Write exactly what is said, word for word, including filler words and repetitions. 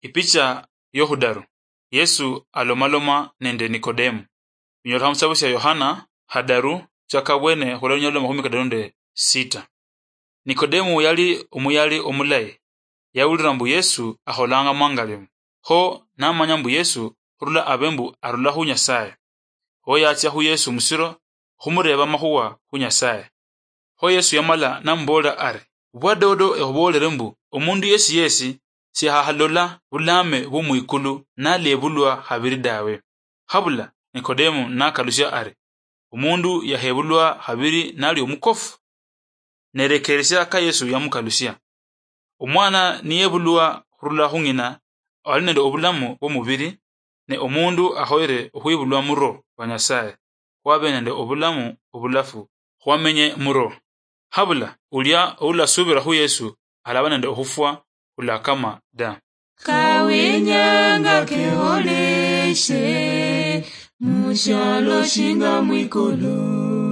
Ipicha yokhudaru. Yesu alomaloma nende Nikodemu. Binyolekha mushitabu shia Yohana khadaru, chaka bwene khula lunyalo lwa makhumi kadaru nende sita. Nikodemu yali omuyali omulayi. Yawulira mbu Yesu akholanga mwangalimo. Kho namanya mbu Yesu khurula abe mbu arula khu Nyasaye. Kho yatsia khu Yesu musiro khumureba amakhuwa khu Nyasaye. Kho Yesu yamala namuboolera ari, "Bwadodo ekhuboolere mbu, omundu yesi yesi siakhahalola bulaame bwo mwikulu nalebulwa khabiri dawe." Habula Nikodemu nakalusia ari, "Omundu yakhebulwa khabiri nali omukofu?" Nerekeresia ka Yesu yamukalusia. Omwana niyebulwa khurula khu ng'ina, ali nende obulamu bw'omubiri, ne omundu akhoyere okhwibulwa mu Roho wa Nyasaye, khwabe nende obulamu obulafu, khwamenye mu Roho. Habula ulia oulasuubira khu Yesu alaba nende okhufwa khulakama da. Kawenyanga keholeshe, mushialo shinga mwikulu.